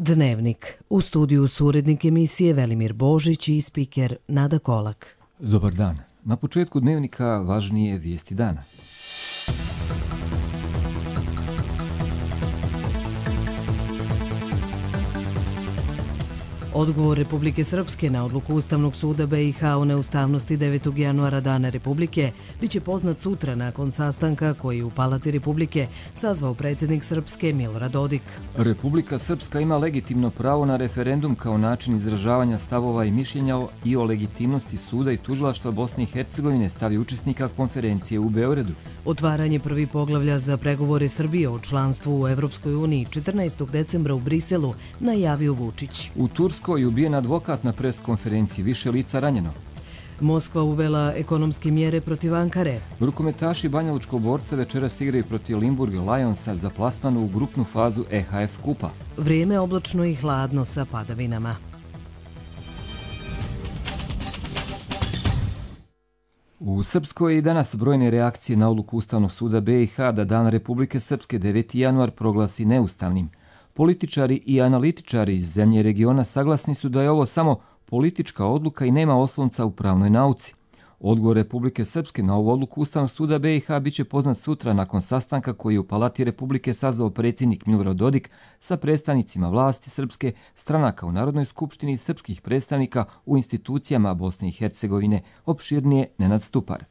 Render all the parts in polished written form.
Dnevnik. U studiju su urednik emisije Velimir Božić i spiker Nada Kolak. Dobar dan. Na početku Dnevnika važnije vijesti dana. Odgovor Republike Srpske na odluku Ustavnog suda BiH o neustavnosti 9. januara Dana Republike biće poznat sutra nakon sastanka koji u Palati Republike sazvao predsjednik Srpske Milorad Dodik. Republika Srpska ima legitimno pravo na referendum kao način izražavanja stavova i mišljenja i o legitimnosti suda i tužilaštva Bosne i Hercegovine, stavi učesnika konferencije u Beogradu. Otvaranje prvi poglavlja za pregovore Srbije o članstvu u Evropskoj uniji 14. decembra u Briselu najavio Vučić. U Turskoj je ubijen advokat na preskonferenciji, više lica ranjeno. Moskva uvela ekonomske mjere protiv Ankare. Rukometaši banjalučkog borca večeras igraju protiv Limburg Lionsa za plasman u grupnu fazu EHF kupa. Vrijeme oblačno i hladno sa padavinama. U Srpskoj je i danas brojne reakcije na odluku Ustavnog suda BiH da Dan Republike Srpske 9. januar proglasi neustavnim. Političari i analitičari iz zemlje i regiona saglasni su da je ovo samo politička odluka i nema oslonca u pravnoj nauci. Odgovor Republike Srpske na ovu odluku Ustavnog suda BiH biće poznat sutra nakon sastanka koji je u Palati Republike sazvao predsjednik Milorad Dodik sa predstavnicima vlasti srpske, stranaka u Narodnoj skupštini i srpskih predstavnika u institucijama Bosne i Hercegovine, opširnije Nenad Stupar.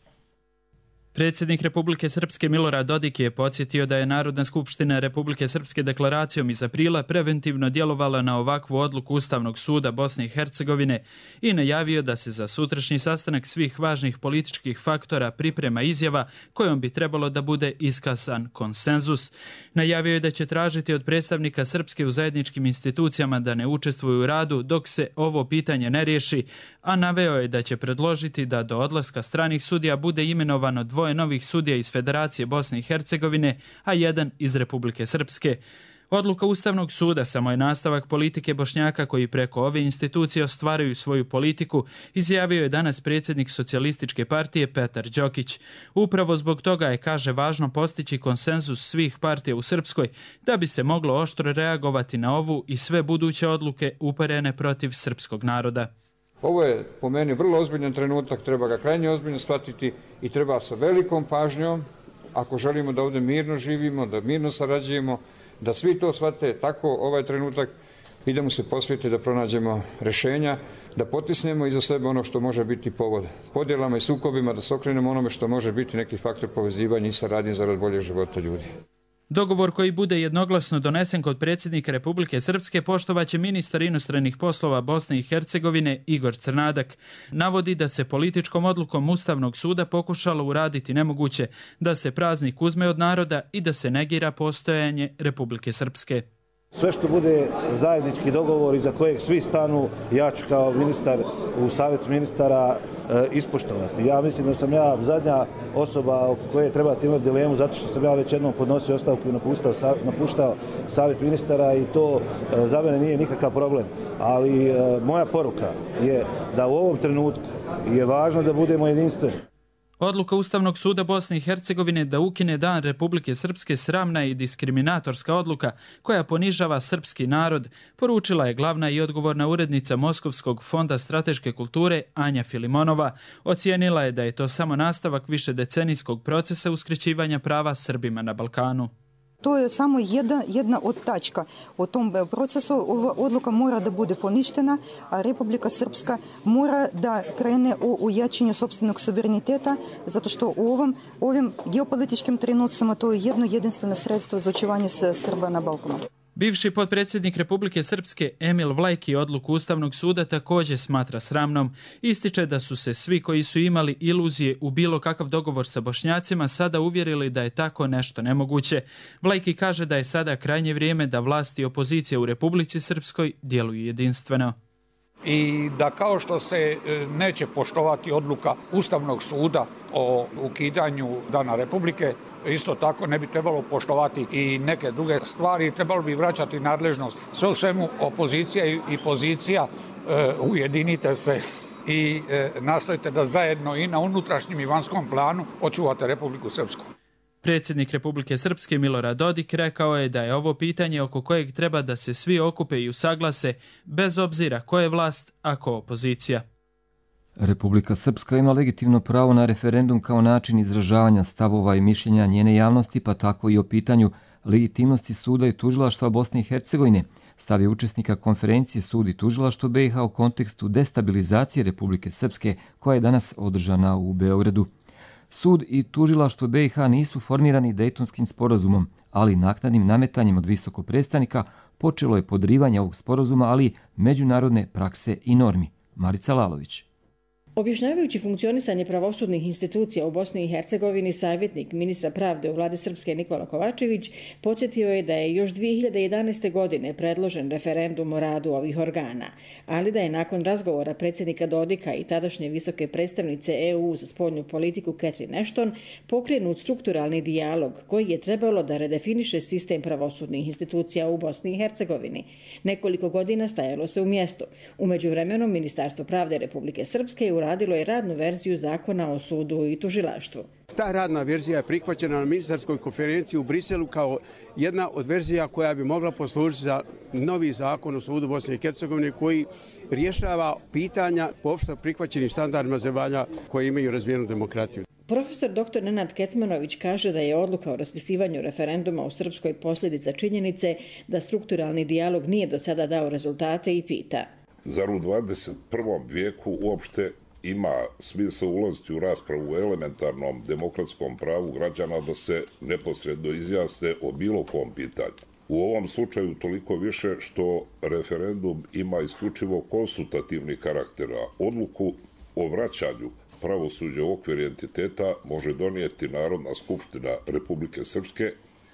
Predsjednik Republike Srpske Milorad Dodik je podsjetio da je Narodna skupština Republike Srpske deklaracijom iz aprila preventivno djelovala na ovakvu odluku Ustavnog suda Bosne i Hercegovine i najavio da se za sutrašnji sastanak svih važnih političkih faktora priprema izjava kojom bi trebalo da bude iskasan konsenzus. Najavio je da će tražiti od predstavnika Srpske u zajedničkim institucijama da ne učestvuju u radu dok se ovo pitanje ne riješi, a naveo je da će predložiti da do odlaska stranih sudija bude imenovano dvoje novih sudija iz Federacije Bosne i Hercegovine, a jedan iz Republike Srpske. Odluka Ustavnog suda samo je nastavak politike Bošnjaka koji preko ove institucije ostvaruju svoju politiku, izjavio je danas predsjednik Socijalističke partije Petar Đokić. Upravo zbog toga je, kaže, važno postići konsenzus svih partija u Srpskoj da bi se moglo oštro reagovati na ovu i sve buduće odluke uperene protiv srpskog naroda. Ovo je po meni vrlo ozbiljan trenutak, treba ga krajnje ozbiljno shvatiti i treba sa velikom pažnjom, ako želimo da ovdje mirno živimo, da mirno sarađujemo, da svi to shvate tako ovaj trenutak i da mu se posvijeti da pronađemo rješenja, da potisnemo iza sebe ono što može biti povod podjelama i sukobima, da se okrenemo onome što može biti neki faktor povezivanja i saradnje zarad bolje života ljudi. Dogovor koji bude jednoglasno donesen kod predsjednika Republike Srpske poštovaće ministar inostranih poslova Bosne i Hercegovine Igor Crnadak. Navodi da se političkom odlukom Ustavnog suda pokušalo uraditi nemoguće, da se praznik uzme od naroda i da se negira postojanje Republike Srpske. Sve što bude zajednički dogovor iza kojeg svi stanu, ja ću kao ministar u savjetu ministara ispoštovati. Ja mislim da sam ja zadnja osoba oko koje trebate imati dilemu zato što sam ja već jednom podnosio ostavku i napuštao savjet ministara i to za mene nije nikakav problem. Ali moja poruka je da u ovom trenutku je važno da budemo jedinstveni. Odluka Ustavnog suda Bosne i Hercegovine da ukine Dan Republike Srpske sramna i diskriminatorska odluka koja ponižava srpski narod, poručila je glavna i odgovorna urednica Moskovskog fonda strateške kulture Anja Filimonova. Ocijenila je da je to samo nastavak višedecenijskog procesa uskraćivanja prava Srbima na Balkanu. To je samo jedna od tačka. U tom procesu odluka mora da bude poništena, a Republika Srpska mora da krene u jačanju sopstvenog suvereniteta, zato što u ovim geopolitičkim trenucima to je jedno jedinstveno sredstvo za očuvanje Srba na Balkanu. Bivši potpredsjednik Republike Srpske Emil Vlajki odluku Ustavnog suda također smatra sramnom. Ističe da su se svi koji su imali iluzije u bilo kakav dogovor sa Bošnjacima sada uvjerili da je tako nešto nemoguće. Vlajki kaže da je sada krajnje vrijeme da vlasti i opozicija u Republici Srpskoj djeluju jedinstveno. I da kao što se neće poštovati odluka Ustavnog suda o ukidanju Dana Republike, isto tako ne bi trebalo poštovati i neke druge stvari, trebalo bi vraćati nadležnost. Sve u svemu opozicija i pozicija, ujedinite se i nastojite da zajedno i na unutrašnjem i vanjskom planu očuvate Republiku Srpsku. Predsjednik Republike Srpske Milorad Dodik rekao je da je ovo pitanje oko kojeg treba da se svi okupe i usaglase, bez obzira ko je vlast, a ko opozicija. Republika Srpska ima legitimno pravo na referendum kao način izražavanja stavova i mišljenja njene javnosti, pa tako i o pitanju legitimnosti suda i tužilaštva Bosne i Hercegovine, stav je učesnika konferencije Sud i tužilaštvo BiH u kontekstu destabilizacije Republike Srpske koja je danas održana u Beogradu. Sud i tužilaštvo BiH nisu formirani Dejtonskim sporazumom, ali naknadnim nametanjem od visokog predstavnika počelo je podrivanje ovog sporazuma, ali i međunarodne prakse i normi. Marica Lalović. Objašnjavajući funkcionisanje pravosudnih institucija u Bosni i Hercegovini, savjetnik ministra pravde u vladi Srpske Nikola Kovačević podsjetio je da je još 2011. godine predložen referendum o radu ovih organa, ali da je nakon razgovora predsjednika Dodika i tadašnje visoke predstavnice EU za spoljnu politiku Catherine Ashton pokrenut strukturalni dijalog koji je trebalo da redefiniše sistem pravosudnih institucija u Bosni i Hercegovini. Nekoliko godina stajalo se u mjestu. U međuvremenu Ministarstvo pravde Republike Srpske je uradilo je radnu verziju zakona o sudu i tužilaštvu. Ta radna verzija je prihvaćena na ministarskoj konferenciji u Briselu kao jedna od verzija koja bi mogla poslužiti za novi zakon o sudu Bosne i Hercegovine koji rješava pitanja po opšte prihvaćenim standardima zemalja koje imaju razvijenu demokratiju. Profesor dr. Nenad Kecmanović kaže da je odluka o raspisivanju referenduma u Srpskoj posljedica činjenice da strukturalni dijalog nije do sada dao rezultate i pita. Zar u 21. vijeku uopšte ima smisla ulaziti u raspravu o elementarnom demokratskom pravu građana da se neposredno izjasne o bilo kom pitanju? U ovom slučaju toliko više što referendum ima isključivo konsultativni karakter, a odluku o vraćanju pravosuđa u okvir entiteta može donijeti Narodna skupština Republike Srpske,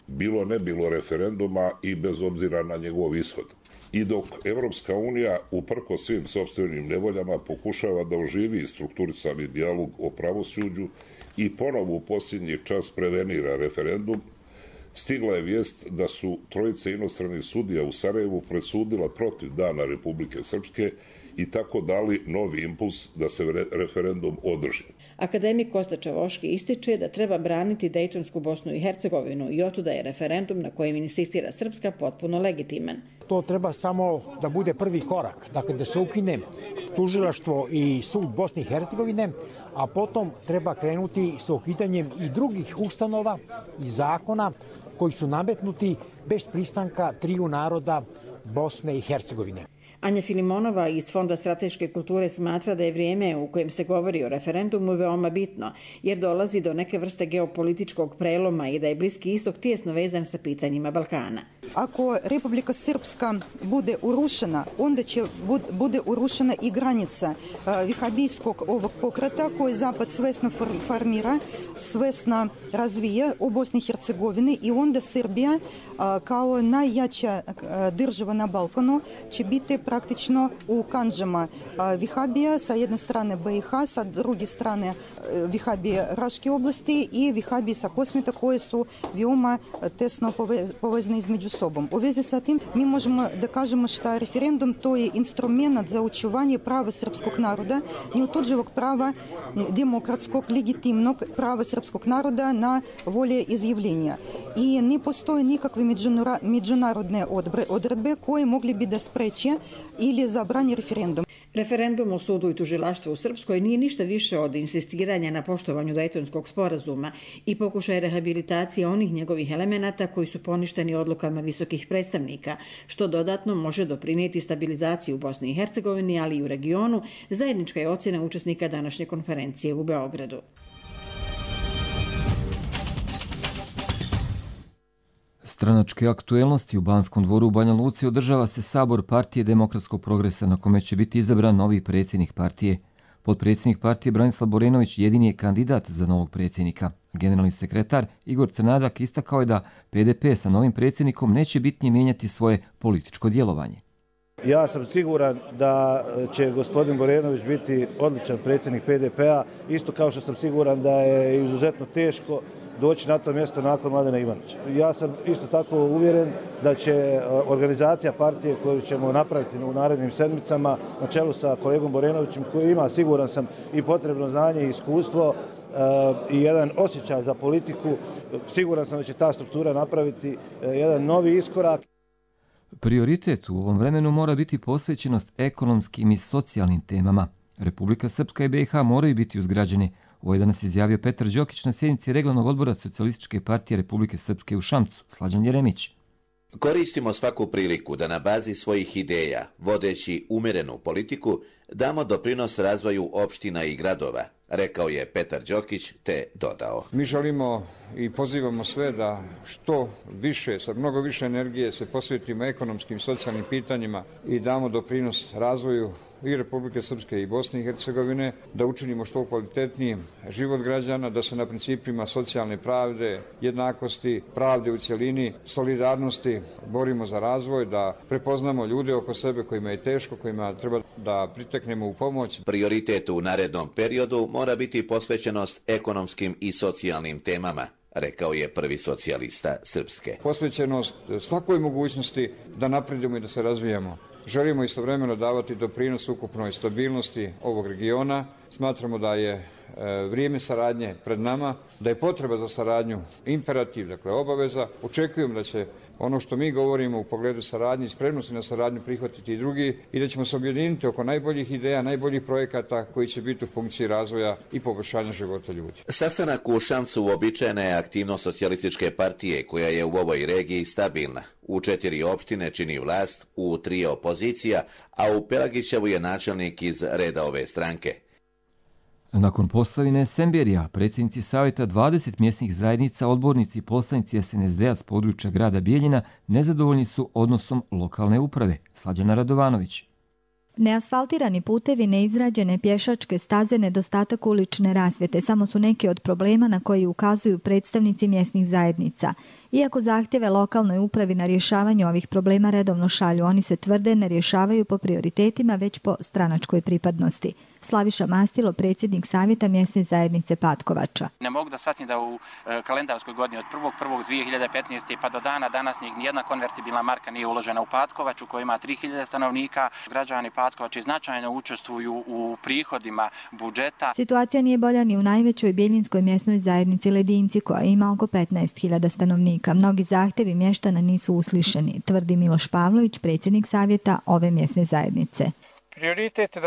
bilo ne bilo referenduma i bez obzira na njegov ishod. I dok Evropska unija uprko svim sopstvenim nevoljama pokušava da oživi strukturisani dijalog o pravosuđu i ponovo u posljednji čas prevenira referendum, stigla je vijest da su trojice inostranih sudija u Sarajevu presudila protiv Dana Republike Srpske i tako dali novi impuls da se referendum održi. Akademik Kosta Čavoški ističe da treba braniti Dejtonsku Bosnu i Hercegovinu i otuda je referendum na kojem insistira Srpska potpuno legitiman. To treba samo da bude prvi korak, dakle da se ukine tužilaštvo i sud Bosne i Hercegovine, a potom treba krenuti sa ukidanjem i drugih ustanova i zakona koji su nametnuti bez pristanka triju naroda Bosne i Hercegovine. Anja Filimonova iz Fonda strateške kulture smatra da je vrijeme u kojem se govori o referendumu veoma bitno, jer dolazi do neke vrste geopolitičkog preloma i da je Bliski istok tijesno vezan sa pitanjima Balkana. Ako Republika Srpska bude urušena, onda će bude urušena i granica vihabijskog ovog pokreta koji Zapad svesno formira, svesno razvija u Bosni i Hercegovini i onda Srbija kao najjača država na Balkanu će biti praktično u kandžama vihabija, sa jedne strane BiH, sa druge strane vihabije Raške oblasti i vihabije sa Kosmeta koje su veoma tesno povezane između sobom. U vezi sa tim mi možemo da kažemo što referendum to je instrument za očuvanje prava srpskog naroda, neotuđivog prava demokratskog, legitimnog prava srpskog naroda na volje izjavljenja. I ne postoje nikakve međunarodne odredbe koje mogli bi da spreče ili zabrani referendum. Referendum o sudu i tužilaštvu u Srpskoj nije ništa više od insistiranja na poštovanju Dejtonskog sporazuma i pokušaj rehabilitacije onih njegovih elemenata koji su poništeni odlukama visokih predstavnika, što dodatno može doprinijeti stabilizaciji u Bosni i Hercegovini, ali i u regionu, zajednička je ocjena učesnika današnje konferencije u Beogradu. Stranačke aktuelnosti u Banskom dvoru u Banja Luci održava se sabor Partije demokratskog progresa na kome će biti izabran novi predsjednik partije. Potpredsjednik partije Branislav Borenović jedini je kandidat za novog predsjednika. Generalni sekretar Igor Crnadak istakao je da PDP sa novim predsjednikom neće bitnije mijenjati svoje političko djelovanje. Ja sam siguran da će gospodin Borenović biti odličan predsjednik PDP-a, isto kao što sam siguran da je izuzetno teško doći na to mjesto nakon Mladena Ivanića. Ja sam isto tako uvjeren da će organizacija partije koju ćemo napraviti u narednim sedmicama na čelu sa kolegom Borenovićem koji ima, siguran sam, i potrebno znanje i iskustvo, i jedan osjećaj za politiku. Siguran sam da će ta struktura napraviti jedan novi iskorak. Prioritet u ovom vremenu mora biti posvećenost ekonomskim i socijalnim temama. Republika Srpska i BiH moraju biti uzgrađeni. Ovo je danas izjavio Petar Đokić na sjednici Regionalnog odbora Socijalističke partije Republike Srpske u Šamcu. Slađan Jeremić. Koristimo svaku priliku da na bazi svojih ideja, vodeći umjerenu politiku, damo doprinos razvoju opština i gradova, rekao je Petar Đokić te dodao. Mi želimo i pozivamo sve da što više, sa mnogo više energije se posvetimo ekonomskim i socijalnim pitanjima i damo doprinos razvoju i Republike Srpske i Bosne i Hercegovine, da učinimo što kvalitetnijim život građana, da se na principima socijalne pravde, jednakosti, pravde u cjelini, solidarnosti borimo za razvoj, da prepoznamo ljude oko sebe kojima je teško, kojima treba da priteknemo u pomoć. Prioritet u narednom periodu mora biti posvećenost ekonomskim i socijalnim temama, rekao je prvi socijalista Srpske. Posvećenost svakoj mogućnosti da napredimo i da se razvijamo. Želimo istovremeno davati doprinos ukupnoj stabilnosti ovog regiona. Smatramo da je vrijeme saradnje pred nama, da je potreba za saradnju imperativ, dakle obaveza. Očekujem da će ono što mi govorimo u pogledu saradnje i spremnosti na saradnju prihvatiti i drugi i da ćemo se objediniti oko najboljih ideja, najboljih projekata koji će biti u funkciji razvoja i poboljšanja života ljudi. Sastanak u Šamcu uobičajena je aktivnost Socijalističke partije koja je u ovoj regiji stabilna. U 4 opštine čini vlast, u 3 opozicija, a u Pelagićevu je načelnik iz reda ove stranke. Nakon Posavine Semberija, predsjednici Savjeta 20 mjesnih zajednica, odbornici i poslanici SNSD-a s područja grada Bijeljina nezadovoljni su odnosom lokalne uprave. Slađana Radovanović. Neasfaltirani putevi, neizrađene pješačke staze, nedostatak ulične rasvjete samo su neki od problema na koji ukazuju predstavnici mjesnih zajednica. Iako zahtjeve lokalnoj upravi na rješavanje ovih problema redovno šalju, oni se tvrde ne rješavaju po prioritetima, već po stranačkoj pripadnosti. Slaviša Mastilo, predsjednik Savjeta mjesne zajednice Patkovača. Ne mogu da shvatim da u kalendarskoj godini od 1.1.2015. pa do dana današnjeg nijedna konvertibilna marka nije uložena u Patkovaču, koja ima 3000 stanovnika. Građani Patkovači značajno učestvuju u prihodima budžeta. Situacija nije bolja ni u najvećoj bijeljinskoj mjesnoj zajednici Ledinci, koja ima oko 15.000 stanovnika. Mnogi zahtjevi mještana nisu uslišeni, tvrdi Miloš Pavlović, predsjednik Savjeta ove mjesne zajednice. Prioritet je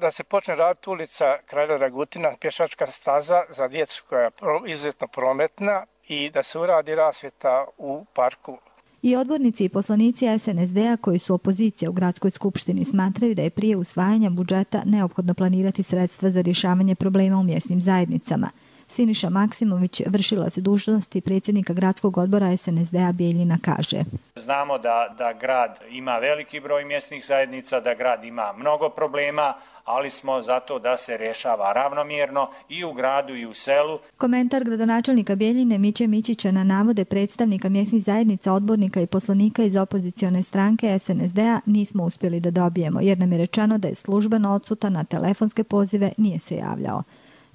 da se počne raditi ulica Kralja Dragutina, pješačka staza za djecu koja je izuzetno prometna i da se uradi rasvjeta u parku. I odbornici i poslanici SNSD-a koji su opozicija u gradskoj skupštini smatraju da je prije usvajanja budžeta neophodno planirati sredstva za rješavanje problema u mjesnim zajednicama. Siniša Maksimović, vršilac dužnosti predsjednika gradskog odbora SNSD-a Bijeljina, kaže: Znamo da grad ima veliki broj mjesnih zajednica, da grad ima mnogo problema, ali smo zato da se rješava ravnomjerno i u gradu i u selu. Komentar gradonačelnika Bijeljine Miće Mićića na navode predstavnika mjesnih zajednica, odbornika i poslanika iz opozicione stranke SNSD-a nismo uspjeli da dobijemo, jer nam je rečeno da je službeno odsutan, na telefonske pozive nije se javljao.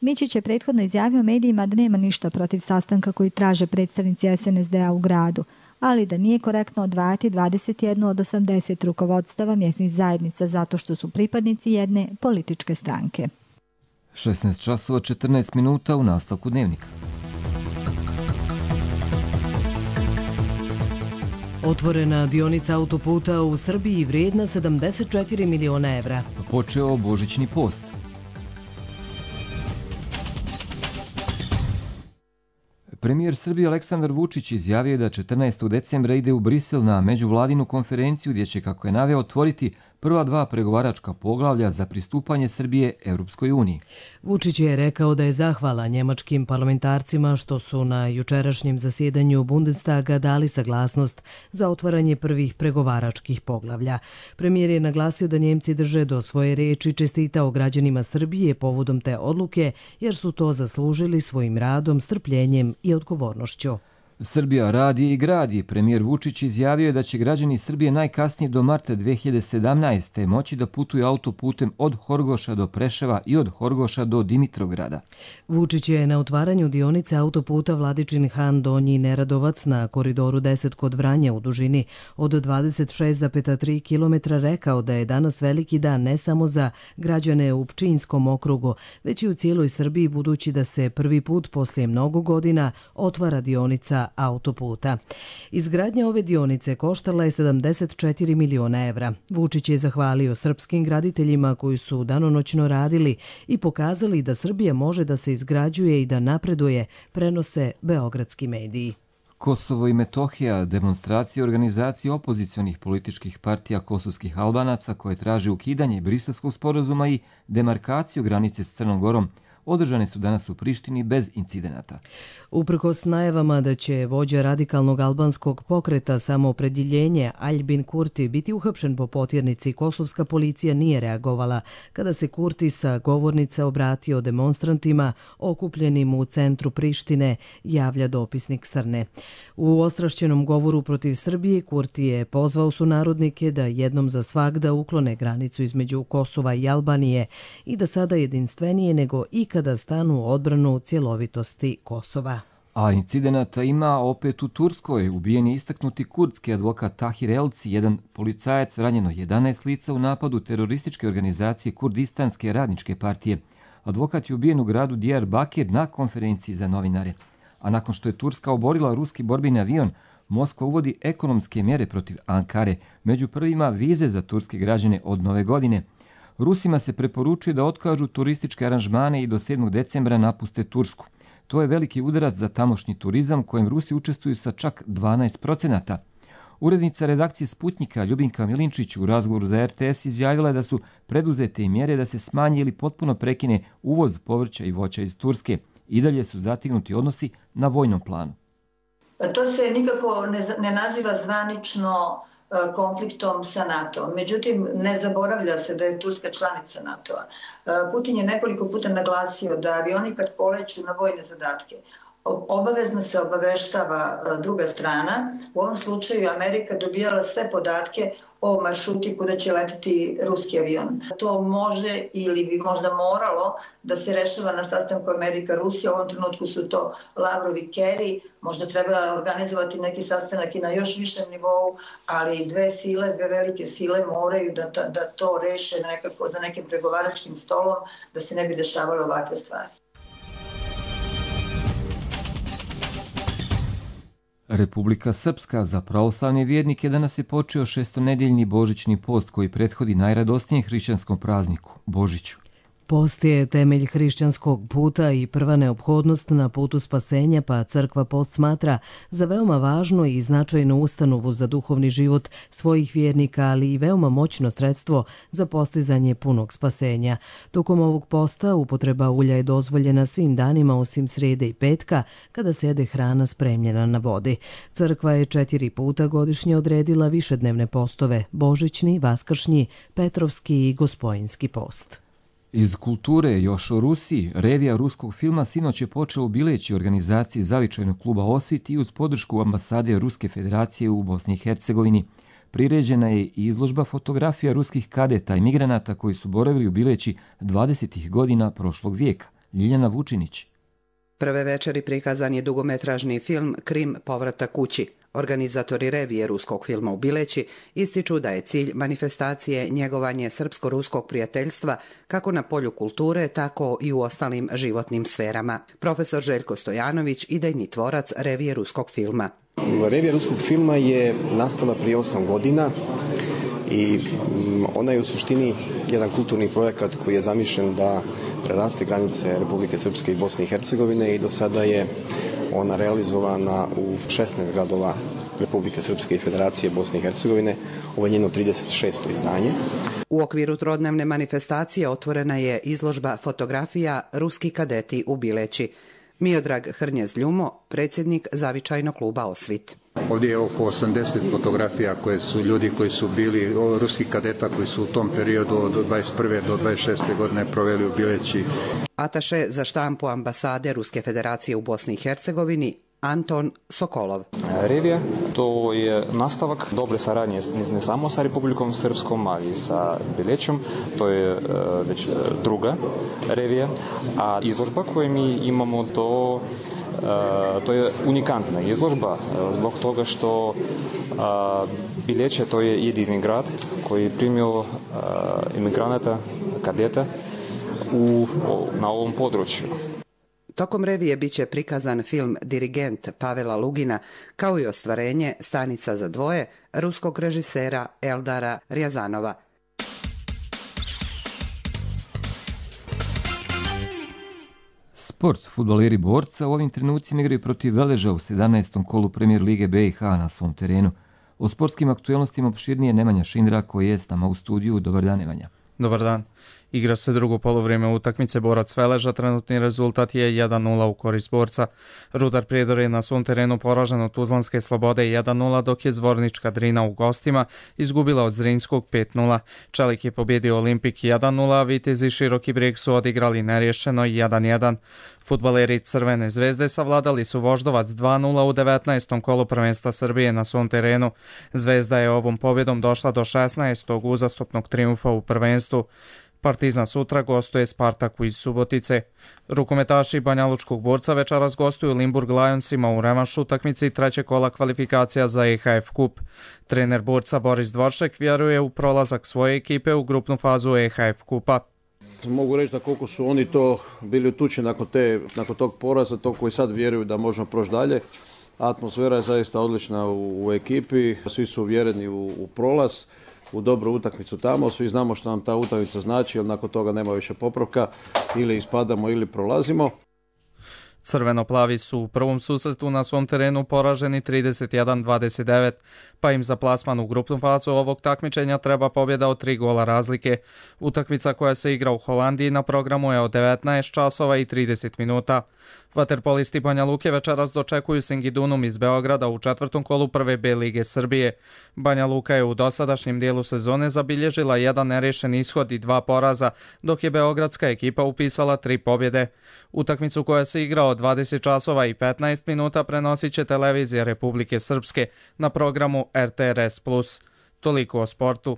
Mićić je prethodno izjavio medijima da nema ništa protiv sastanka koji traže predstavnici SNSD-a u gradu, ali da nije korektno odvajati 21 od 80 rukovodstava mjesnih zajednica zato što su pripadnici jedne političke stranke. 16 časova 14 minuta u nastavku dnevnika. Otvorena dionica autoputa u Srbiji vrijedna 74 miliona evra. Počeo božićni post. Premijer Srbije Aleksandar Vučić izjavio da 14. decembra ide u Brisel na međuvladinu konferenciju gdje će, kako je naveo, otvoriti prva 2 pregovaračka poglavlja za pristupanje Srbije Europskoj uniji. Vučić je rekao da je zahvala njemačkim parlamentarcima što su na jučerašnjem zasjedanju Bundestaga dali saglasnost za otvaranje prvih pregovaračkih poglavlja. Premijer je naglasio da Njemci drže do svoje riječi i čestitao građanima Srbije povodom te odluke jer su to zaslužili svojim radom, strpljenjem i odgovornošću. Srbija radi i gradi. Premijer Vučić izjavio je da će građani Srbije najkasnije do marta 2017. moći da putuju autoputem od Horgoša do Preševa i od Horgoša do Dimitrograda. Vučić je na otvaranju dionice autoputa Vladičin Han Donji Neradovac na koridoru 10 kod Vranja u dužini od 26,3 km rekao da je danas veliki dan ne samo za građane u Pčinjskom okrugu, već i u cijeloj Srbiji, budući da se prvi put poslije mnogo godina otvara dionica autoputa. Izgradnja ove dionice koštala je 74 miliona evra. Vučić je zahvalio srpskim graditeljima koji su danonoćno radili i pokazali da Srbija može da se izgrađuje i da napreduje, prenose beogradski mediji. Kosovo i Metohija, demonstracije organizacije opozicionih političkih partija kosovskih Albanaca koje traže ukidanje Briselskog sporazuma i demarkaciju granice s Crnom Gorom održane su danas u Prištini bez incidenata. Uprkos najavama da će vođa radikalnog albanskog pokreta Samoopredjeljenje Aljbin Kurti biti uhapšen po potjernici, kosovska policija nije reagovala kada se Kurti sa govornice obratio demonstrantima okupljenim u centru Prištine, javlja dopisnik Srne. U ostrašćenom govoru protiv Srbije Kurti je pozvao sunarodnike da jednom za svagda uklone granicu između Kosova i Albanije i da sada jedinstvenije nego ikada stanu u odbranu cjelovitosti Kosova. A incidenata ima opet u Turskoj. Ubijen je istaknuti kurdski advokat Tahir Elci, jedan policajac, ranjeno 11 lica u napadu terorističke organizacije Kurdistanske radničke partije. Advokat je ubijen u gradu Diyarbakir na konferenciji za novinare. A nakon što je Turska oborila ruski borbeni avion, Moskva uvodi ekonomske mjere protiv Ankare, među prvima vize za turske građane od nove godine. Rusima se preporučuje da otkažu turističke aranžmane i do 7. decembra napuste Tursku. To je veliki udarac za tamošnji turizam kojem Rusi učestvuju sa čak 12%. Urednica redakcije Sputnjika Ljubinka Milinčić u razgovoru za RTS izjavila je da su preduzete mjere da se smanji ili potpuno prekine uvoz povrća i voća iz Turske. I dalje su zategnuti odnosi na vojnom planu. To se nikako ne naziva zvanično konfliktom sa NATO. Međutim, ne zaboravlja se da je Turska članica NATO-a. Putin je nekoliko puta naglasio da avioni kad poleću na vojne zadatke, obavezno se obaveštava druga strana. U ovom slučaju Amerika dobijala sve podatke o maršruti kuda će letiti ruski avion. To može ili bi možda moralo da se rešava na sastanku Amerika-Rusija. U ovom trenutku su to Lavrov i Kerry. Možda treba organizovati neki sastanak i na još višem nivou, ali dve velike sile moraju da to reše nekako za nekim pregovaračkim stolom, da se ne bi dešavale ovakve stvari. Republika Srpska za pravoslavne vjernike danas je počeo šestonedeljni božićni post koji prethodi najradosnijem hrišćanskom prazniku, Božiću. Post je temelj hrišćanskog puta i prva neophodnost na putu spasenja, pa crkva post smatra za veoma važno i značajnu ustanovu za duhovni život svojih vjernika, ali i veoma moćno sredstvo za postizanje punog spasenja. Tokom ovog posta upotreba ulja je dozvoljena svim danima osim srijede i petka, kada se jede hrana spremljena na vodi. Crkva je 4 puta godišnje odredila višednevne postove, božićni, vaskršnji, petrovski i gospojinski post. Iz kulture još o Rusiji, revija ruskog filma sinoć je počela u Bileći organizaciji Zavičajnog kluba Osvit i uz podršku ambasade Ruske federacije u Bosni i Hercegovini. Priređena je i izložba fotografija ruskih kadeta i migranata koji su boravili u Bileći 20. godina prošlog vijeka. Ljiljana Vučinić. Prve večeri prikazan je dugometražni film Krim povratak kući. Organizatori revije ruskog filma u Bileći ističu da je cilj manifestacije njegovanje srpsko-ruskog prijateljstva kako na polju kulture, tako i u ostalim životnim sferama. Profesor Željko Stojanović, idejni tvorac revije ruskog filma. Revija ruskog filma je nastala prije 8 godina i ona je u suštini jedan kulturni projekat koji je zamišljen da preraste granice Republike Srpske i Bosne i Hercegovine i do sada je ona realizovana u 16 gradova Republike Srpske i Federacije Bosne i Hercegovine. Ovo je njeno 36. izdanje. U okviru trodnevne manifestacije otvorena je izložba fotografija Ruski kadeti u Bileći. Miodrag Hrnjez-Ljumo, predsjednik Zavičajnog kluba Osvit. Ovdje je oko 80 fotografija koje su ljudi koji su bili ruskih kadeta koji su u tom periodu od 21. do 26. godine proveli u Bileći. Ataše za štampu ambasade Ruske federacije u Bosni i Hercegovini Anton Sokolov. Revija to je nastavak dobre saradnje ne samo sa Republikom Srpskom, ali i sa Bilećom. To je već druga revija, a izložba koju mi imamo to je unikantna izložba zbog toga što Bileće to je jedini grad koji je primio imigranata, kadeta na ovom području. Tokom revije biće prikazan film Dirigent Pavela Lugina, kao i ostvarenje Stanica za dvoje ruskog režisera Eldara Rjazanova. Sport. Fudbaleri Borca u ovim trenucima igraju protiv Veleža u 17. kolu Premijer Lige BiH na svom terenu. O sportskim aktuelnostima opširnije Nemanja Šindra koji je s nama u studiju. Dobar dan, Nemanja. Dobar dan. Igra se drugo polovrijeme utakmice Borac Veleža, trenutni rezultat je 1-0 u korist Borca. Rudar Prijedor je na svom terenu poražen od Tuzlanske Slobode 1-0, dok je Zvornička Drina u gostima izgubila od Zrinskog 5-0. Čelik je pobjedio Olimpik 1-0, a Vitezi Široki Brijeg su odigrali nerješeno 1-1. Fudbaleri Crvene zvezde savladali su Voždovac 2-0 u 19. kolu prvenstva Srbije na svom terenu. Zvezda je ovom pobjedom došla do 16. uzastopnog trijumfa u prvenstvu. Partizan sutra gostuje Spartaku iz Subotice. Rukometaši Banjalučkog Borca večeras gostuju Limburg Lionsima u revanšu utakmici trećeg kola kvalifikacija za EHF kup. Trener Borca Boris Dvoršek vjeruje u prolazak svoje ekipe u grupnu fazu EHF kupa. Mogu reći da koliko su oni to bili utučeni nakon tog poraza, to koji sad vjeruju da možemo proći dalje. Atmosfera je zaista odlična u ekipi, svi su uvjereni u prolaz, u dobru utakmicu tamo, svi znamo što nam ta utakmica znači, jer nakon toga nema više popravka, ili ispadamo ili prolazimo. Crveno-plavi su u prvom susretu na svom terenu poraženi 31-29, pa im za plasman u grupnu fazu ovog takmičenja treba pobjeda od 3 gola razlike. Utakmica koja se igra u Holandiji na programu je od 19 časova i 30 minuta. Vaterpolisti Banja Luke večeras dočekuju Singidunum iz Beograda u četvrtom kolu prve B lige Srbije. Banja Luka je u dosadašnjem dijelu sezone zabilježila jedan nerješen ishod i 2 poraza, dok je beogradska ekipa upisala 3 pobjede. Utakmicu koja se igra od 20 časova i 15 minuta prenosit će televizija Republike Srpske na programu RTRS+. Toliko o sportu.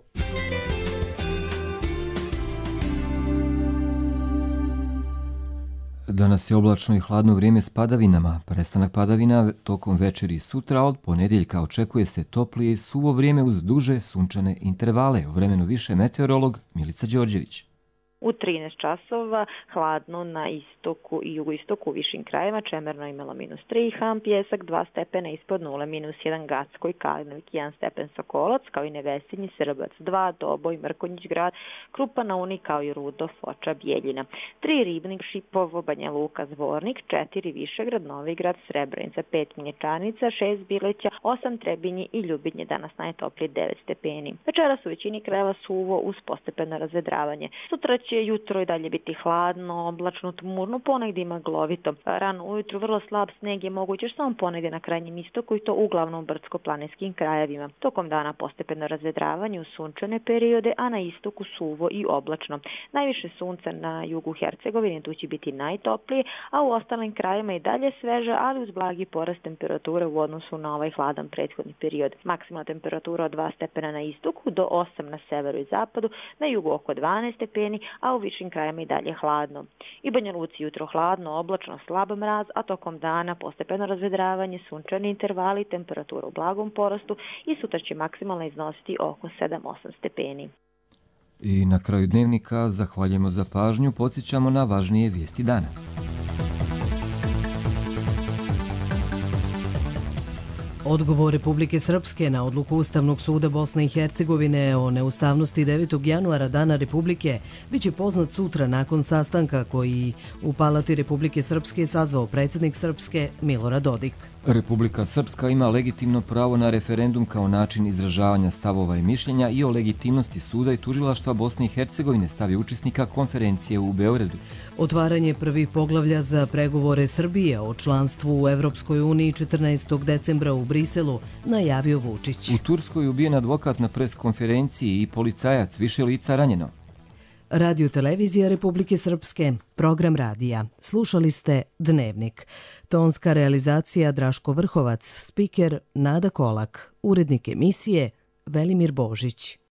Danas je oblačno i hladno vrijeme s padavinama. Prestanak padavina tokom večeri i sutra, od ponedjeljka očekuje se toplije i suvo vrijeme uz duže sunčane intervale. U vremenu više meteorolog Milica Đorđević. U 13 časova hladno na istoku i jugoistoku u višim krajevima, Čemerno imalo -3, Ham, Pjesak 2 stepena ispod 0, -1 Gacko i Kalinović 1 stepen Sokolac, kao i Nevesinji, Srbac 2, Doboj, Mrkonjić grad, Krupa na Uni, kao i Rudo, Foča, Bijeljina, 3 Ribnik, Šipovo, Banja Luka, Zvornik, 4 Višegrad, Novigrad, Srebrenica, 5 Minječanica, 6 Bileća, 8 Trebinji i Ljubinje, danas najtoplije 9 stepeni. Večeras u većini krajeva suvo uz postepeno razvedravanje. Sutra će jutro i dalje biti hladno, oblačno, tmurno, ponegdje maglovito. Rano ujutru vrlo slab sneg je moguće samo ponegdje na krajnjem istoku i to uglavnom u brdsko-planinskim krajevima. Tokom dana postepeno razvedravanje u sunčane periode, a na istoku suvo i oblačno. Najviše sunca na jugu Hercegovine, tu će biti najtoplije, a u ostalim krajevima i dalje sveže, ali uz blagi porast temperature u odnosu na ovaj hladan prethodni period. Maksimalna temperatura od 2 stepena na istoku do 8 na severu i zapadu, na jugu oko 12 stepeni, a u višim krajima i dalje hladno. I Banja Luci jutro hladno, oblačno, slab mraz, a tokom dana postepeno razvedravanje, sunčani intervali, temperatura u blagom porastu i sutra će maksimalno iznositi oko 7-8 stepeni. I na kraju dnevnika zahvaljujemo za pažnju, podsjećamo na važnije vijesti dana. Odgovor Republike Srpske na odluku Ustavnog suda Bosne i Hercegovine o neustavnosti 9. januara Dana Republike biće poznat sutra nakon sastanka koji u Palati Republike Srpske sazvao predsjednik Srpske Milorad Dodik. Republika Srpska ima legitimno pravo na referendum kao način izražavanja stavova i mišljenja i o legitimnosti suda i tužilaštva Bosne i Hercegovine stavi učesnika konferencije u Beogradu. Otvaranje prvih poglavlja za pregovore Srbije o članstvu u Evropskoj uniji 14. decembra u Briselu najavio Vučić. U Turskoj ubijen advokat na pres konferenciji i policajac, više lica ranjeno. Radio Televizija Republike Srpske, program radija. Slušali ste Dnevnik. Tonska realizacija Draško Vrhovac, spiker Nada Kolak, urednik emisije Velimir Božić.